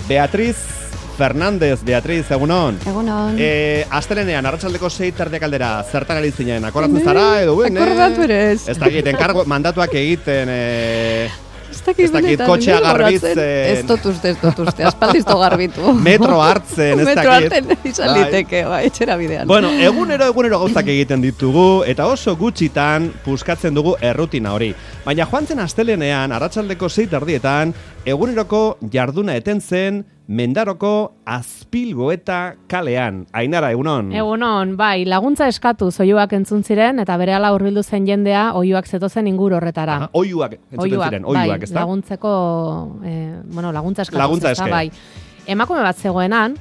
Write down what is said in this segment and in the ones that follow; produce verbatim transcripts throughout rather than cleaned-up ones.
Beatriz Fernández, Beatriz, egunon. Egunon. Eh, astelenean, arratsaldeko sei terdiak aldera, zertan ari zinen, akordatzen zara, edo buen, Akordatu ere ez. Ez dakit, enkargo, mandatuak egiten, eh, ez dakit, ez dakit kotxea garbitzen. Ez dut uste, ez dut uste, aspaldizto garbitu. Metro hartzen, ez dakit. Metro hartzen izan liteke, bai, etxera bidean. Bueno, egunero, egunero gauzak egiten ditugu, eta oso gutxitan puskatzen dugu errutina hori. Baina joan zen astelenean, arratsaldeko sei terdietan, eguneroko jarduna eten zen, Mendaroko Azpilgoeta kalean. Ainara, egunon? Egunon, bai, laguntza eskatu oihuak entzun ziren, eta berehala hurbildu zen jendea oihuak zetozen inguru horretara. Aha, oihuak entzuten ziren, oihuak, bai, ez da? laguntzeko, eh, bueno, laguntza eskatu. Laguntza eske. Bai. Emakume bat zegoenan,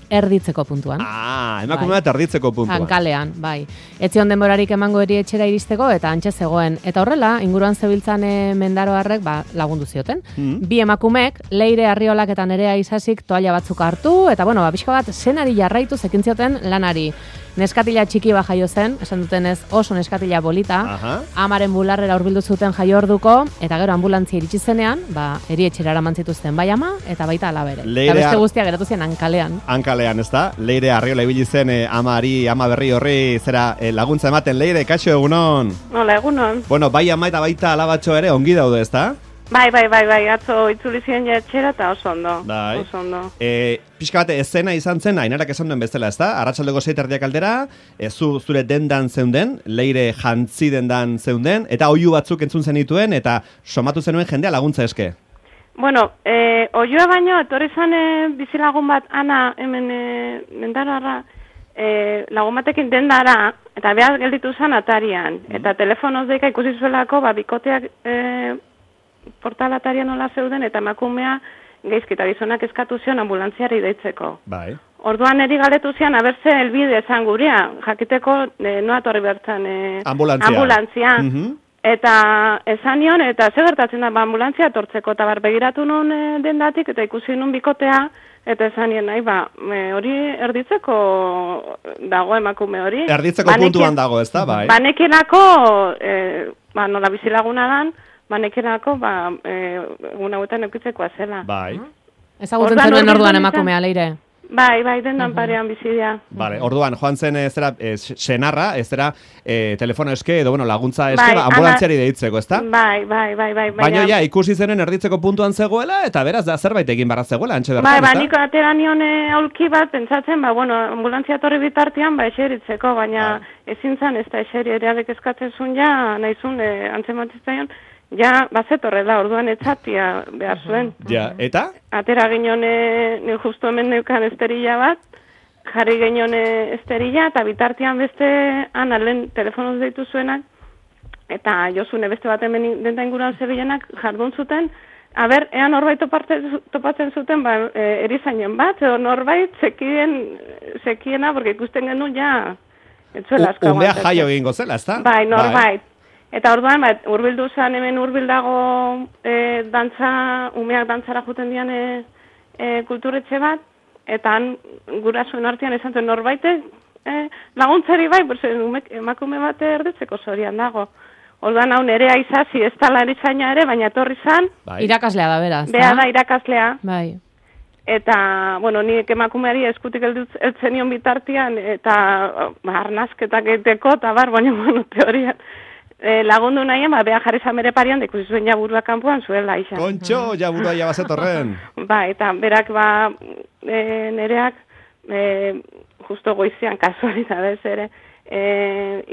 erditzeko puntuan. Ah, emakume bat erditzeko puntuan. Kalean, bai. Etzion denborarik emango eri etxera iristeko, eta antxe zegoen. Eta horrela, inguruan zebiltzan e, mendaroarrek ba, lagundu zioten. Mm. Bi emakumek, Leire Arriolak eta Nerea Isasik toalla batzuk hartu, eta bueno, ba, pixka bat zenari jarraitu zekin zioten lanari. Neskatila txiki ba jaio zen, esan dutenez oso neskatila bolita, Aha. amaren bularrera hurbildu zuten jaio orduko, eta gero anbulantzia iritsi zenean, ba, erietxera eraman zituzten bai ama, eta baita alabere. Eta beste guztia geratu zen hankalean. Hankalean, ez da? Leire Arriola ibili zen eh, amari, ama berri horri zera eh, laguntza ematen. Leire, kaixo, egunon? Hola, egunon. Bueno, bai ama eta baita alabatxo ere ongi daude, ez da? Bai, bai, bai, bai, atzo itzuli ziren etxera eta oso ondo. Bai. Oso ondo. E, pixka bat, ezena izan zen, Ainarak esan duen bezala, ez da? Arratsaldeko sei terdiak aldera, e, zu, zure dendan zeunden, Leire jantzi dendan zeunden, eta oihu batzuk entzun zenituen, eta somatu zenuen jendea laguntza eske. Bueno, eh, oioa baino, etorri zan e, bizilagun bat, Ana, hemen e, mendarara, e, lagun batekin dendara, eta behar gelditu zan atarian. Mm. Eta telefonoz deika ikusi zuelako, ba, bikoteak e, portalatarian nola zeuden, eta emakumea geizkita gizonak eskatu zion ambulantziari deitzeko. Bai. Orduan eri galetu zian, abertze elbide esan gurea, jakiteko e, noa torri bertzen e, ambulantzia. ambulantzia. Mm -hmm. Eta esan nion, eta ze gertatzen da, ba, ambulantzia tortzeko, eta bar begiratu nun e, dendatik, eta ikusi nun bikotea, eta esan nien, nahi, ba, e, hori erditzeko dago emakume hori. Erditzeko Banekien, puntuan dago, ez da, bai? Banekienako, e, ba, nola bizilaguna dan, banekienako, ba, e, egun hauetan eukitzeko zela. Bai. Ezagutzen zenuen orduan emakumea, Leire? Bai, bai, dendan uh-huh. parean bizidia. Vale, orduan, joan zen ez zera, e, senarra, ez zera, e, telefono eske, edo, bueno, laguntza eske, bai, ba, ambulantziari deitzeko, ez da? Bai, bai, bai, bai. Baina, ja, ikusi zenen erditzeko puntuan zegoela, eta beraz, da, zerbait egin barra zegoela, antxe bertan, bai, ba, niko atera nion aulki bat, pentsatzen, ba, bueno, ambulantzia torri bitartian, ba, eseritzeko, baina bai. ezin zan, ez da, eseri ereadek eskatzen zuen, ja, nahizun, e, antzematzizaion, ja, bazetorrela, orduan etzatia behar zuen. Ja, eta? Atera ginen, e, justu hemen neukan esterilla bat, jarri ginen esterilla, eta bitartian beste, ana, lehen telefonoz deitu zuenak, eta jozune beste bat hemen denta inguruan zebilenak jardun zuten, aber, ean norbait topatzen zuten, ba, e, erizainen bat, edo norbait zekien, zekiena, porque ikusten genuen, ja, etzuela asko. Umea jaio egingo zela, ez da? Bai, norbait. Bai. Eta orduan, ba, urbildu zen hemen urbildago e, dantza, umeak dantzara juten dian e, e, kulturetxe bat, eta han gurasuen artean esan zuen norbaitek e, laguntzari bai, berze, emakume bat erditzeko zorian dago. Orduan hau Nerea Isasi ez tala erizaina ere, baina etorri zan. Bai. Irakaslea da, beraz. Bea da, irakaslea. Bai. Eta, bueno, nik emakumeari eskutik eltzen nion bitartian, eta ba, arnazketak egiteko, eta bar, baina, bueno, teorian. E, lagundu nahien, ba, beha jarri zamere parian, ikusi zuen jaburua kanpoan zuela, isa. Kontxo, jaburua jabazetorren. Ba, eta berak, ba, e, nereak, e, justo goizian, kasualidadez ere, e,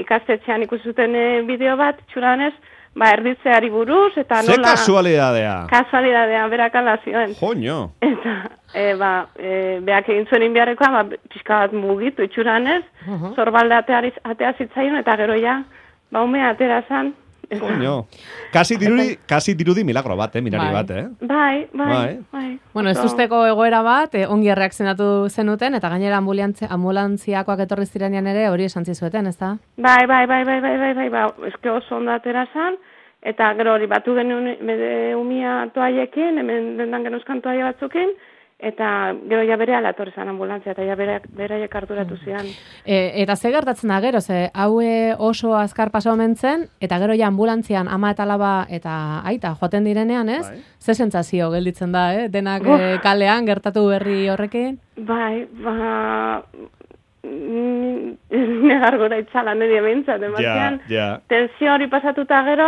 ikastetxean ikusi zuten e, bideo bat, txuranez, ba, erditzeari buruz, eta nola... Ze kasualidadea? Kasualidadea, berak ala zioen. Joño. Eta, e, ba, e, beak egin zuen inbiarrekoa, ba, pixka bat mugitu itxuranez, uh -huh. zorbalde atea zitzaion, eta gero ja, ba, umea atera zan. Coño. Kasi dirudi, kasi dirudi milagro bat, eh, mirari bai. bat, eh? Bai, bai, bai. bai. Bueno, ez usteko egoera bat, eh, ongi erreakzionatu zenuten, eta gainera ambulantziakoak etorri zirenean ere hori esan zizueten, ez da? Bai, bai, bai, bai, bai, bai, bai, bai, eske oso ondo atera zan, eta gero hori batu genuen umia toaiekin, hemen dendan genuzkan toaia batzukin, eta gero ja berehala etorri zen ambulantzia, eta ja bere, beraiek harturatu zian. E, eta ze gertatzen da gero, ze haue oso azkar paso omen zen, eta gero ja ambulantzian ama eta alaba eta aita joaten direnean, ez? Bai. Ze sentsazio gelditzen da, eh? Denak eh, kalean gertatu berri horrekin? Bai, ba... negar gora itzala nire behintzat, ematean, Ja, ja. tensio hori pasatuta gero,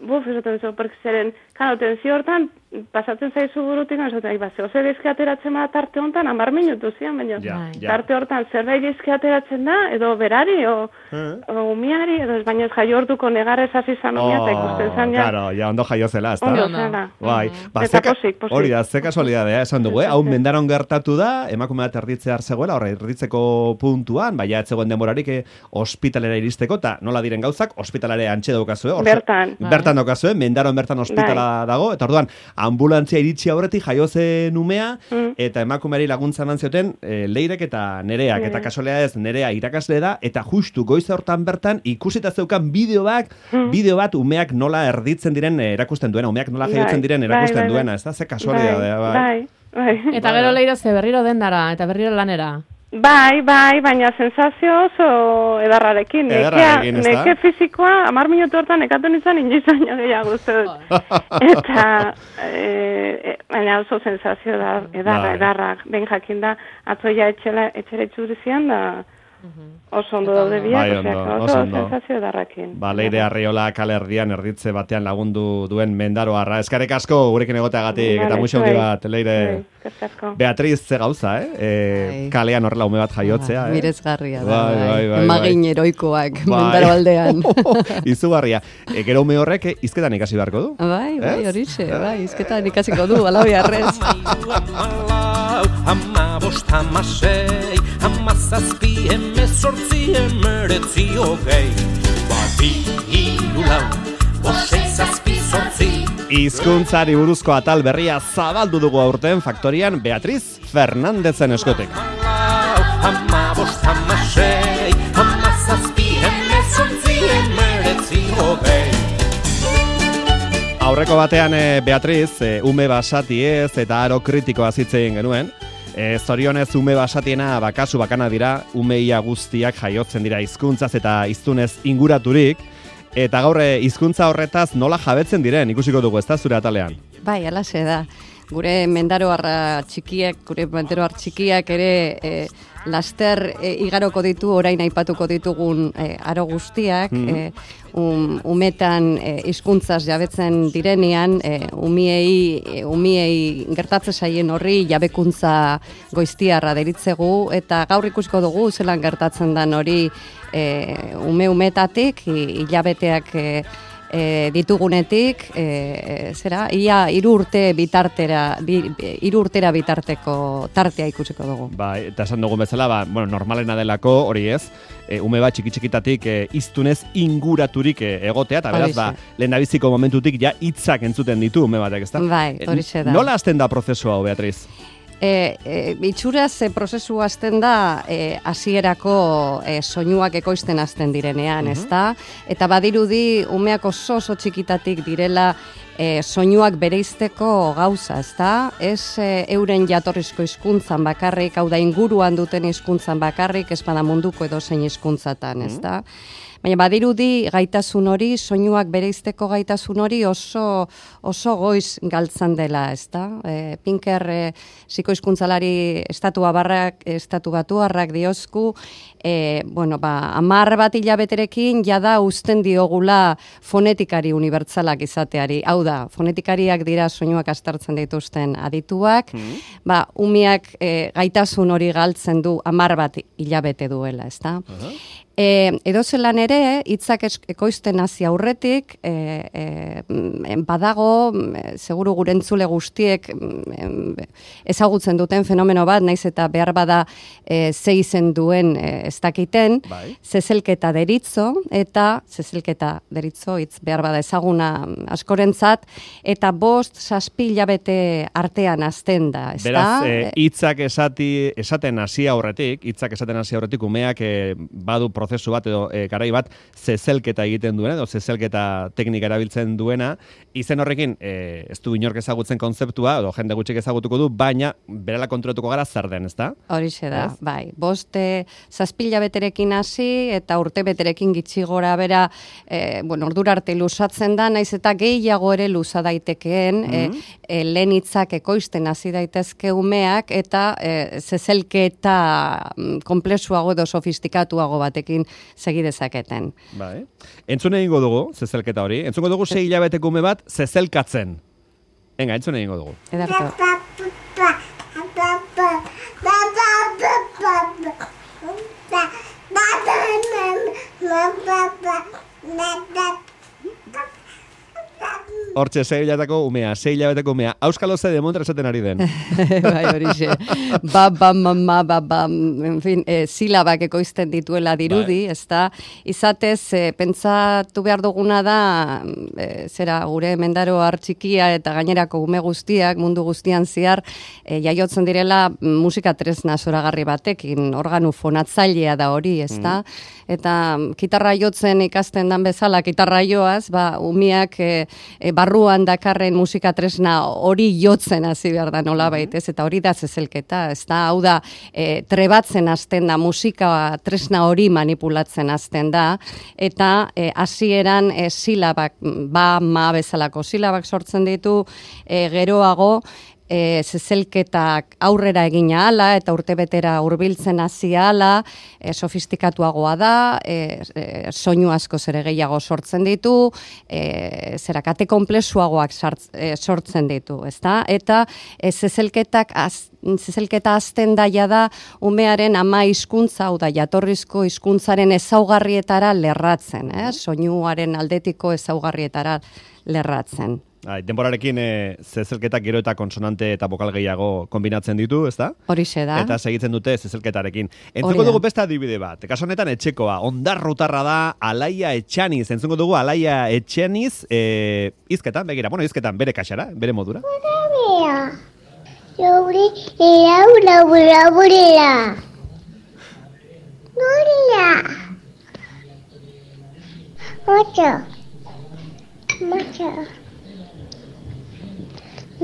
buf, esaten zo, porque zeren, kano, tensio hortan, pasatzen zaizu burutik, esaten, ba, zeo zer dizki ateratzen da tarte honetan, amar minutu zian, baina, Ja, ja. tarte hortan zerbait dizki ateratzen da, edo berari, o, Eh? o umiari, edo ez baina ez jaio orduko negarrez hasi zan umia, eta ikusten zan, ja, claro, ja ondo jaio zela, ezta? ondo Ondo. zela. Bai, ba, Eta zeka- posik, posik. hori da, ze kasualidadea esan dugu, eh? Hau mendaron gertatu da, emakume bat erditzear zegoela, horre erditzeko puntuan, baina ez zegoen denborarik eh, ospitalera iristeko, eta nola diren gauzak, ospitalare antxe daukazue. Hor- Bertan. Bertan daukazue, mendaron bertan ospitala dago, eta orduan, ambulantzia iritsi aurretik jaio zen umea, Mm. eta emakumeari laguntza eman zioten eh, Leirek eta Nereak, eta Nerea. kasualidad ez, Nerea irakasle da, eta justu goiz hortan bertan ikusita zeukan bideo bat, bideo bat umeak nola erditzen diren eh, erakusten duena, umeak nola Bai, jaiotzen diren bai, erakusten bai, bai. duena, ez da, ze kasualidadea, bai. Bai, bai. Eta gero leiro ze berriro dendara, eta berriro lanera. Bai, bai, baina sensazio oso edarrarekin. Edarrarekin, Nekea, ezta? neke fizikoa, amar minutu hortan nekatu nintzen inoiz baino gehiago uste dut. Eta, e, e, baina oso sensazio da, edarra, Bai. edarra. Ben jakin da, atzoia etxela, etxera itzuri zian da, oso ondo daude biak, Bai, osea, ondo, oso oso ondo. sensazio edarrakin. Ba, Leire Arriola kale erdian erditze batean lagundu duen mendaroarra. Eskarek asko gurekin egoteagatik, eta Vale, muixo handi bai. bat, Leire. Bai, eskerrik asko. Beatriz ze gauza, eh? E, Bai. kalean horrela ume bat jaiotzea, eh? Miresgarria da, Bai, bai, bai, bai. Magin heroikoak, Bai. mendaro aldean. Izugarria. E, gero ume horrek eh, hizketan ikasi beharko du. Bai, bai, Ez? horixe, bai, izketan ikasiko du, alabiarrez. Hamalau, hamabost, hamasei, hamazazpi, hemezortzi, hemeretzi, hogei. Bati, hiru, lau, bost, sei, zazpi, zortzi. Hizkuntzari buruzko atal berria zabaldu dugu aurten faktorian Beatriz Fernandezen eskutik. Hamalau, hamabost, hamasei, hamazazpi, hemezortzi, hemeretzi, hogei. Aurreko batean eh, Beatriz, eh, ume basati ez eta aro kritikoa zitzen genuen. E, zorionez ume basatiena bakasu bakana dira, umeia guztiak jaiotzen dira hizkuntzaz eta hiztunez inguraturik, eta gaur eh, hizkuntza horretaz nola jabetzen diren ikusiko dugu, ezta zure atalean. Bai, alaxe da. Gure mendaroarra txikiak, gure mendaroar txikiak ere e, laster e, igaroko ditu, orain aipatuko ditugun e, aro guztiak, e, um, umetan e, hizkuntzaz jabetzen direnean, e, umiei, e, umiei gertatze zaien horri jabekuntza goiztiarra deritzegu, eta gaur ikusiko dugu zelan gertatzen dan hori e, ume-umetatik, hi- hilabeteak e, E, ditugunetik, e, zera, ia hiru urte bitartera, bi, hiru urtera bitarteko tartea ikusiko dugu. Ba, eta esan dugun bezala, ba, bueno, normalena delako, hori ez, e, ume bat txiki-txikitatik e, hiztunez inguraturik e, egotea, eta beraz, ba, Horixe. lehendabiziko momentutik ja hitzak entzuten ditu ume batek, ezta? Bai, E, horixe da. Nola hasten da prozesu hau, Beatriz? E, e, itxuraz e, prozesu hasten da e, hasierako e, soinuak ekoizten hasten direnean, ezta? Eta badirudi umeak oso oso txikitatik direla e, soinuak bereizteko gauza, ezta? Ez e, euren jatorrizko hizkuntzan bakarrik, hau da inguruan duten hizkuntzan bakarrik, ez bada munduko edozein hizkuntzatan, ezta? Baina badirudi gaitasun hori, soinuak bereizteko gaitasun hori oso oso goiz galtzan dela, ezta? E, Pinker e, psikohizkuntzalari estatu abarrak, estatu batuarrak diozku, e, bueno, ba, amar bat hilabeterekin jada uzten diogula fonetikari unibertsalak izateari. Hau da, fonetikariak dira soinuak aztertzen dituzten adituak, ba, umiak e, gaitasun hori galtzen du amar bat hilabete duela, ezta? E, edozelan ere, hitzak es- ekoizten hasi aurretik, e, e, badago, e, seguru gure entzule guztiek em, ezagutzen duten fenomeno bat, naiz eta behar bada e, ze izen duen e, ez dakiten, Bai. zezelketa deritzo, eta zezelketa deritzo, hitz behar bada ezaguna askorentzat, eta bost, zazpi hilabete artean azten da, ezta? Beraz, eh, hitzak esati, esaten hasi aurretik, hitzak esaten hasi aurretik umeak eh, badu prozesu bat edo e, garai bat zezelketa egiten duena edo zezelketa teknika erabiltzen duena. Izen horrekin e, ez du inork ezagutzen kontzeptua edo jende gutxik ezagutuko du, baina berela kontrolatuko gara zer den, ezta? Horixe da, ez? Bai. Boste zazpila beterekin hasi eta urte beterekin gitxi gora bera, e, bueno, ordura arte luzatzen da, naiz eta gehiago ere luza daitekeen, mm-hmm. e, e, lehen hitzak ekoizten hasi daitezke umeak eta e, zezelketa komplexuago edo sofistikatuago batekin segi dezaketen. Bai. Entzun egingo dugu zezelketa hori. Entzungo dugu sei hilabeteko ume bat zezelkatzen. Venga, entzun egingo dugu. Edarto. Hortxe, sei hilabeteko umea, sei hilabeteko umea. Auskalo ze demontra esaten ari den. Bai, horixe. Ba, ba, mama, ba, ba, en fin, e, silabak ekoizten dituela dirudi, bai. Ez da, izatez, e, pentsatu behar duguna da, e, zera, gure mendaro hartxikia eta gainerako ume guztiak, mundu guztian ziar, e, jaiotzen direla musika tresna zoragarri batekin, organu fonatzailea da hori, ez da, mm. eta kitarra jotzen ikasten dan bezala, kitarra joaz, ba, umiak e, e, barruan dakarren musika tresna hori jotzen hasi behar da nolabait, ez? Eta hori da zezelketa, ez da, hau da, e, trebatzen hasten da, musika tresna hori manipulatzen hasten da, eta e, hasieran e, silabak, ba, ma bezalako silabak sortzen ditu, e, geroago, E, zezelketak aurrera egina ala eta urtebetera hurbiltzen hasi ala, e, sofistikatuagoa da, e, e, soinu asko zere gehiago sortzen ditu, e, zerakate komplexuagoak sartz, e, sortzen ditu, ezta? Eta e, zezelketak az, zezelketa azten daia da umearen ama hizkuntza, hau da jatorrizko hizkuntzaren ezaugarrietara lerratzen, eh? Soinuaren aldetiko ezaugarrietara lerratzen. Ai, denborarekin e, zezelketak gero eta konsonante eta bokal gehiago kombinatzen ditu, ezta? Horixe da. Eta segitzen dute zezelketarekin. Entzungo dugu beste adibide bat. Kaso honetan etxekoa, ondarrutarra da Alaia Etxaniz. Entzungo dugu Alaia Etxaniz e, izketan, begira, bueno, izketan bere kaxara, bere modura. Laure, laura, laura, laura. Noria. Macho. Macho.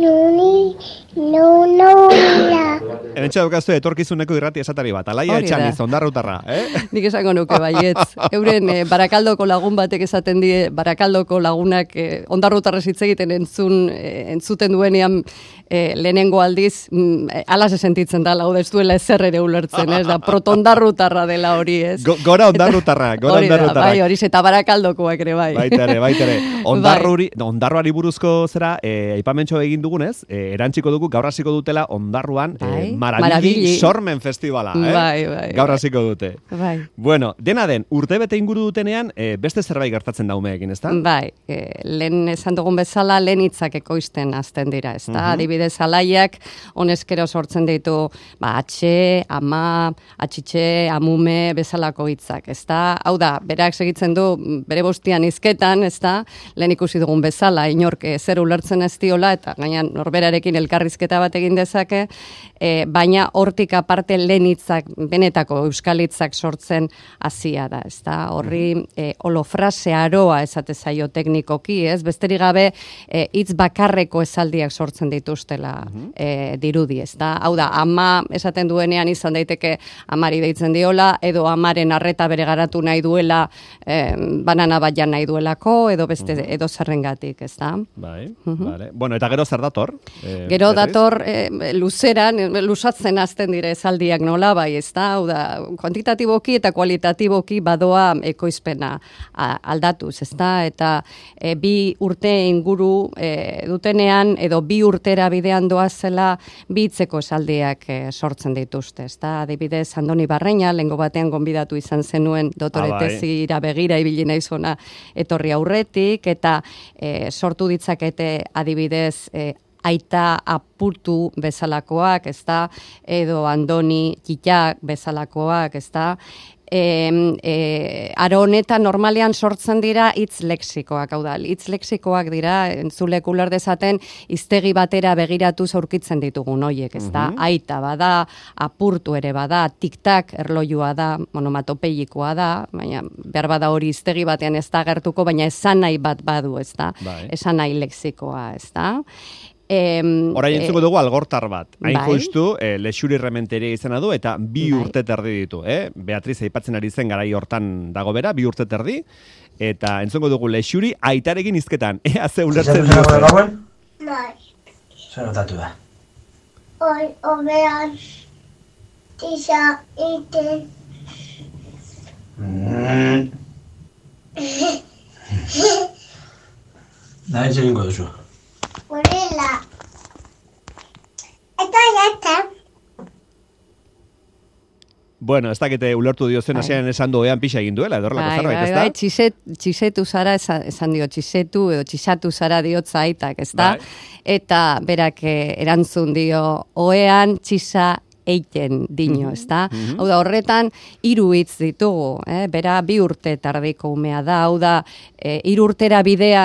Nuni, no, no, la. Hementxe daukazu etorkizuneko irrati esatari bat. Alaia Etxaniz, ondarrutarra, eh? Nik esango nuke baietz. Euren eh, Barakaldoko lagun batek esaten die, Barakaldoko lagunak eh, ondarrutarrez hitz egiten entzun, eh, entzuten duenean eh, lehenengo aldiz, mm, alaz sentitzen da, lau ez duela ezer ere ulertzen, ez da, protondarrutarra dela hori, ez? Go, gora ondarrutarra, gora ondarrutarra. Bai, hori, eta Barakaldokoak ere, bai. Baitere, baitere. Ondarruri, ondarruari buruzko zera, eh, aipamentxo egin dugunez, eh, erantziko dugu, gaur hasiko dutela ondarruan, bai. eh, Marabili Sormen Festivala, eh? Bai, bai. Gaur hasiko dute. Bai. Bueno, dena den, urtebete inguru dutenean, eh, beste zerbait gertatzen da umeekin, ezta? Bai, eh, lehen esan dugun bezala, lehen hitzak ekoizten hasten dira, ezta? Uh-huh. Adibidez, alaiak, honezkero sortzen ditu, ba, atxe, ama, atxitxe, amume, bezalako hitzak, ezta? Hau da, berak segitzen du, bere bostian hizketan, ezta? Lehen ikusi dugun bezala, inork eh, zer ulertzen ez diola, eta gainan norberarekin elkarrizketa bat egin dezake, E, baina hortik aparte lehen hitzak, benetako euskal hitzak sortzen hasia da, ezta? Horri e, holofrase aroa esate zaio teknikoki, ez? Besterik gabe e, hitz bakarreko esaldiak sortzen dituztela e, dirudi, ezta? Hau da, ama esaten duenean izan daiteke amari deitzen diola, edo amaren arreta bere garatu nahi duela, e, banana bat jan nahi duelako, edo beste uh-huh. edo zerrengatik, ezta? Bai, uh-huh. Vale. Bueno, eta gero zer dator? E, gero dator e, luzeran, lusatzen hasten dire esaldiak nola bai, ezta? Hau da, kuantitatiboki eta kualitatiboki badoa ekoizpena aldatuz, ezta? Eta e, bi urte inguru e, dutenean edo bi urtera bidean doazela bi hitzeko esaldiak e, sortzen dituzte, ezta? Adibidez, Andoni Barreña, lehengo batean gonbidatu izan zenuen dotore tezira begira ibili naizona etorri aurretik, eta e, sortu ditzakete adibidez e, aita apurtu bezalakoak, ezta, edo Andoni Txitxak bezalakoak, ezta, e, e, aro honetan normalean sortzen dira hitz lexikoak, hau da, hitz lexikoak dira, entzulek uler dezaten, hiztegi batera begiratu aurkitzen ditugun hoiek, ezta? Mhm. Aita bada, apurtu ere bada, tiktak erlojua da, onomatopeikoa da, baina behar bada hori hiztegi batean ez da agertuko, baina esan nahi bat badu, ezta? Bai. Esan nahi lexikoa, ezta? Em, Orain entzuko dugu algortar bat. Hain bai. justu, eh, Lexuri Rementeria izena du, eta bi Bai. urte terdi ditu. Eh? Beatriz aipatzen ari zen garai hortan dago bera, bi urte terdi, eta entzungo dugu Lexuri aitarekin hizketan. Ea ze ulertzen Zatu zenako diozen. gauen? Bai. Zer notatu da? Hoi, obean, tisa, iten, Mm. Da, hitz egingo duzu. gorila. Eta jata. Bueno, ez dakite ulertu diozen Bai. hasian esan du ean pixa egin duela, edo horrelako Bai, zerbait, bai, ezta? bai, txiset, txisetu zara, esan, esan dio, txisetu edo txisatu zara diotza aitak, ezta? Bai. Eta berak eh, erantzun dio, oean txisa eiten dino, ezta? Hau da, horretan, hiru hitz ditugu, eh? Bera bi urte tardiko umea da, hau da, eh, hiru urtera bidea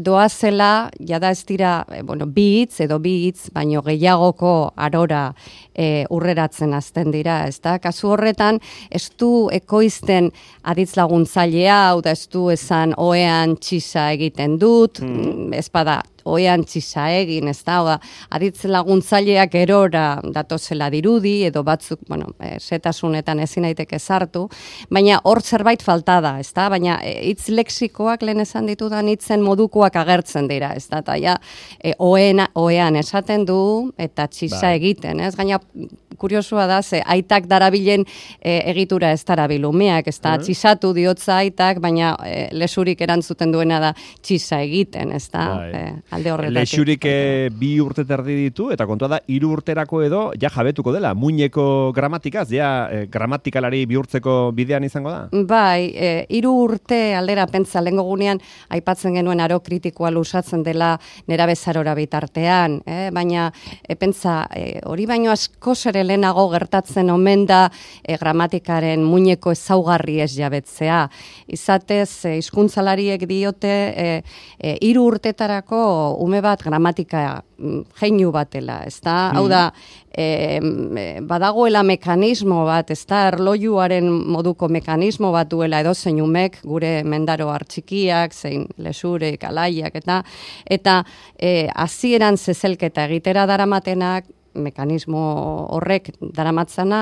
doazela, jada ez dira, eh, bueno, bi hitz edo bi hitz, baino gehiagoko arora eh, urreratzen hasten dira, ezta? Kasu horretan, ez du ekoizten aditz laguntzailea, hau da, ez du esan oean txisa egiten dut, mm. ez bada, oean txisa egin, ez da, oda, aditz laguntzaileak erora datozela dirudi, edo batzuk, bueno, e, setasunetan ezin daiteke sartu, baina hor zerbait falta da, ez da, baina e, hitz lexikoak lehen esan ditudan hitzen modukoak agertzen dira, ez da, eta ja, e, oena, oean esaten du, eta txisa Bai. egiten, ez, gaina kuriosua da, ze aitak darabilen e, egitura ez darabil umeak, ez da, txisatu diotza aitak, baina e, lesurik erantzuten duena da txisa egiten, ez da, Bai. e, alde horretatik. Lexurik eh, bi urte terdi ditu, eta kontua da, hiru urterako edo, ja jabetuko dela, muineko gramatikaz, ja eh, gramatikalari bihurtzeko bidean izango da? Bai, e, hiru urte aldera pentsa lehengo gunean aipatzen genuen aro kritikoa lusatzen dela nerabezarora bitartean, eh? Baina e, pentsa e, hori baino askoz ere lehenago gertatzen omen da e, gramatikaren muineko ezaugarri ez jabetzea. Izatez, e, hizkuntzalariek diote e, e, hiru urtetarako ume bat gramatika jeinu batela, ezta? Hau da, e, badagoela mekanismo bat, ezta? Erlojuaren moduko mekanismo bat duela edozein umek, gure mendaro hartxikiak, zein lesurek, alaiak, eta eta e, hasieran zezelketa egitera daramatenak, mekanismo horrek daramatzana,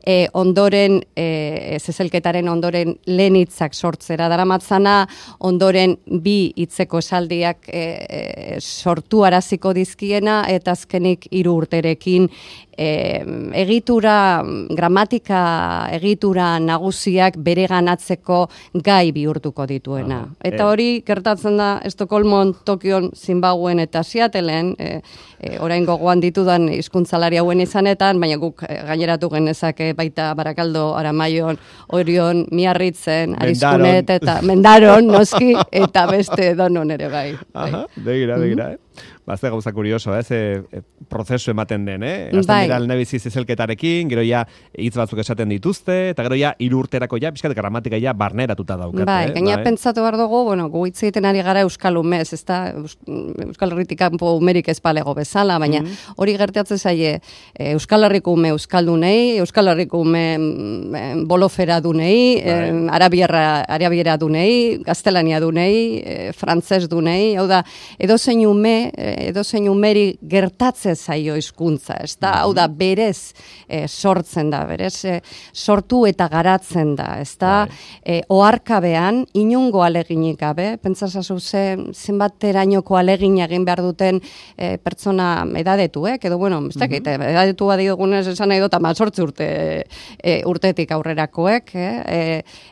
e, ondoren, e, zezelketaren ondoren lehen hitzak sortzera daramatzana, ondoren bi hitzeko esaldiak e, e, sortu araziko dizkiena, eta azkenik hiru urterekin e, egitura, gramatika egitura nagusiak bereganatzeko gai bihurtuko dituena. Aha. Eta E- hori gertatzen da Estokolmon, Tokion, Zimbabuen eta Seattleen, e, e, orain gogoan ditudan hizkuntzalari hauen izanetan, baina guk e, gaineratu genezake baita Barakaldo, Aramaion, Orion, Miarritzen, Mendaron. Arizkunet eta Mendaron, noski, eta beste donon ere bai. bai. Aha, begira, begira, eh? Ba, ze gauza kurioso, eh? Ze eh, prozesu ematen den, eh? Azten Bai. dira alnebizi zezelketarekin, gero ja hitz batzuk esaten dituzte, eta gero ja hiru urterako ja, pixkat gramatika ja barneratuta daukate. Bai, eh? gaina Bai. pentsatu behar dugu, bueno, gu hitz egiten ari gara Euskal Umez, ez da, Euskal Herritik kanpo umerik ez balego bezala, baina hori gertatzen zaie e, Euskal Herriko ume Euskaldunei, Euskal Herriko ume mm, bolofera dunei, Bai. e, arabiera, arabiera dunei, gaztelania dunei, e, frantzes dunei, hau da, edozein ume, e, edozein umeri gertatzen zaio hizkuntza, ez da, hau da, berez e, sortzen da, berez e, sortu eta garatzen da, ez da, e, oharkabean, inungo aleginik gabe, pentsasazu ze, zenbaterainoko alegin egin behar duten e, pertsona edadetuek, edo, bueno, ez dakit, edadetu badiogunez esan nahi dut, ama sortzi urte, e, urtetik aurrerakoek, eh? e,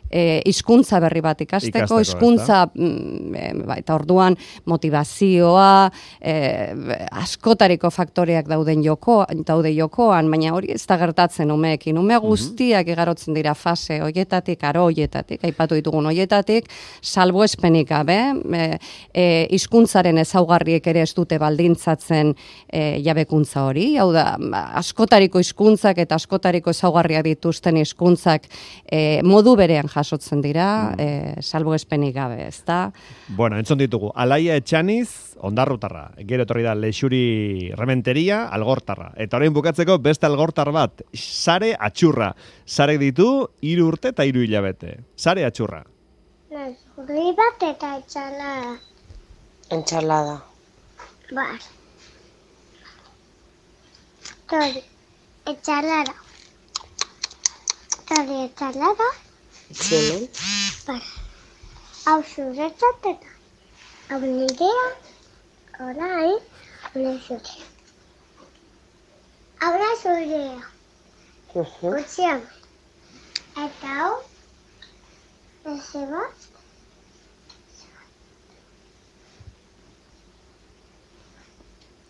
e, hizkuntza berri bat ikasteko, Ikasteko, hizkuntza, mm, e, ba, eta orduan motivazioa, e, e, askotariko faktoreak dauden joko, daude jokoan, baina hori ez da gertatzen umeekin. Ume guztiak igarotzen dira fase hoietatik, aro hoietatik, aipatu ditugun hoietatik, salbuespenik gabe, e, e, hizkuntzaren ezaugarriek ere ez dute baldintzatzen e, jabekuntza hori, hau da, askotariko hizkuntzak eta askotariko ezaugarriak dituzten hizkuntzak e, modu berean jasotzen dira, mm. e, salbuespenik gabe, ezta? Bueno, entzun ditugu, Alaia Etxaniz, Ondarrutarra, gero etorri da Lexuri Rementeria, Algortarra. Eta orain bukatzeko beste algortar bat, Sare Atxurra. Sarek ditu hiru urte eta hiru hilabete. Sare Atxurra. Zurri bat eta etxalada. Ensalada. Bar. Tori, etxalada. Tori, etxalada. Zimen. Bar. Hau zuretzat eta hau nirea, orain, hau zure. Hau da zurea. Gutxian. Eta hau, eze bat.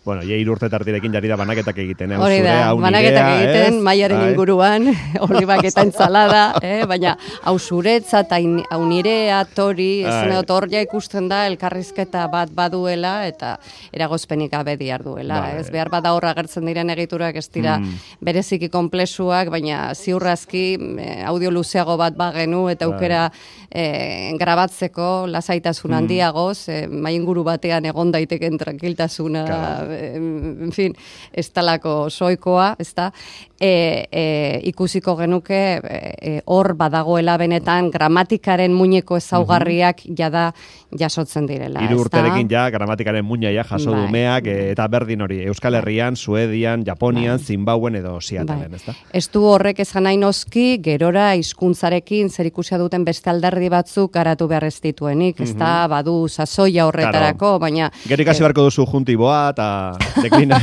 Bueno, ja hiru urte tartirekin jari da banaketak egiten, eh? Hori da, banaketak egiten, maiaren inguruan, olibak eta entzalada, eh? Baina hau zuretza eta hau nirea, tori, ez dut hor ja ikusten da, elkarrizketa bat baduela eta eragozpenik gabe diar duela. Ba, Ez behar bada hor agertzen diren egiturak ez dira mm. bereziki konplexuak, baina ziurrazki eh, audio luzeago bat bagenu eta aukera eh, grabatzeko lasaitasun mm. handiagoz, eh, mai inguru batean egon daiteken tranquiltasuna, en fin, ez talako soikoa, ez da, e, e, ikusiko genuke hor e, badagoela benetan gramatikaren muineko ezaugarriak jada jasotzen direla. Hiru urterekin ja gramatikaren muina ja jaso bai. dumeak e, eta berdin hori, Euskal Herrian, Suedian, Japonian, bai. Zimbauen edo Seattleen, bai. ez da? Ez du horrek esan nahi noski, gerora hizkuntzarekin zer ikusia duten beste alderdi batzuk garatu behar ez dituenik, ez da, mm-hmm. badu sasoia horretarako, claro. Baina... Gero ikasi beharko duzu juntiboa eta deklina.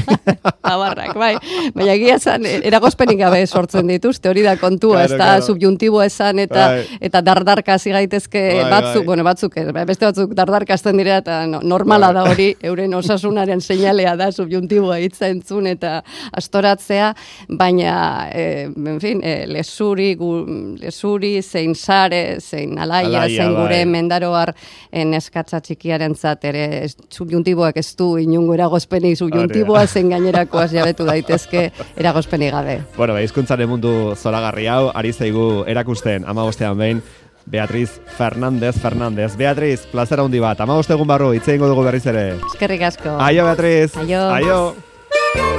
Abarrak, bai. Baina egia zan, eragozpenik gabe sortzen dituzte, hori da kontua, claro, ez da, claro. Subjuntiboa esan eta bai. Eta dardarka hasi gaitezke bai, batzuk, bai. Bueno, batzuk, beste batzuk dardarkazten dira eta no, normala bai. Da hori, euren osasunaren seinalea da, subjuntiboa hitza entzun eta astoratzea, baina, eh, en fin, eh, lesuri, gu, lesuri, zein sare, zein alaia, alaia zein gure bai. Mendaroar neskatza txikiaren zat, ere subjuntiboak ez du inungo eragozpenik subjuntiboa zen gainerakoaz jabetu daitezke eragozpenik gabe. Bueno, ba, hizkuntzaren mundu zoragarri hau, ari zaigu erakusten amabostean behin, Beatriz Fernández Fernández. Beatriz, plazera handi bat, amaboste egun barru, hitz egingo dugu berriz ere. Eskerrik asko. Aio, Beatriz. Aio. Aio.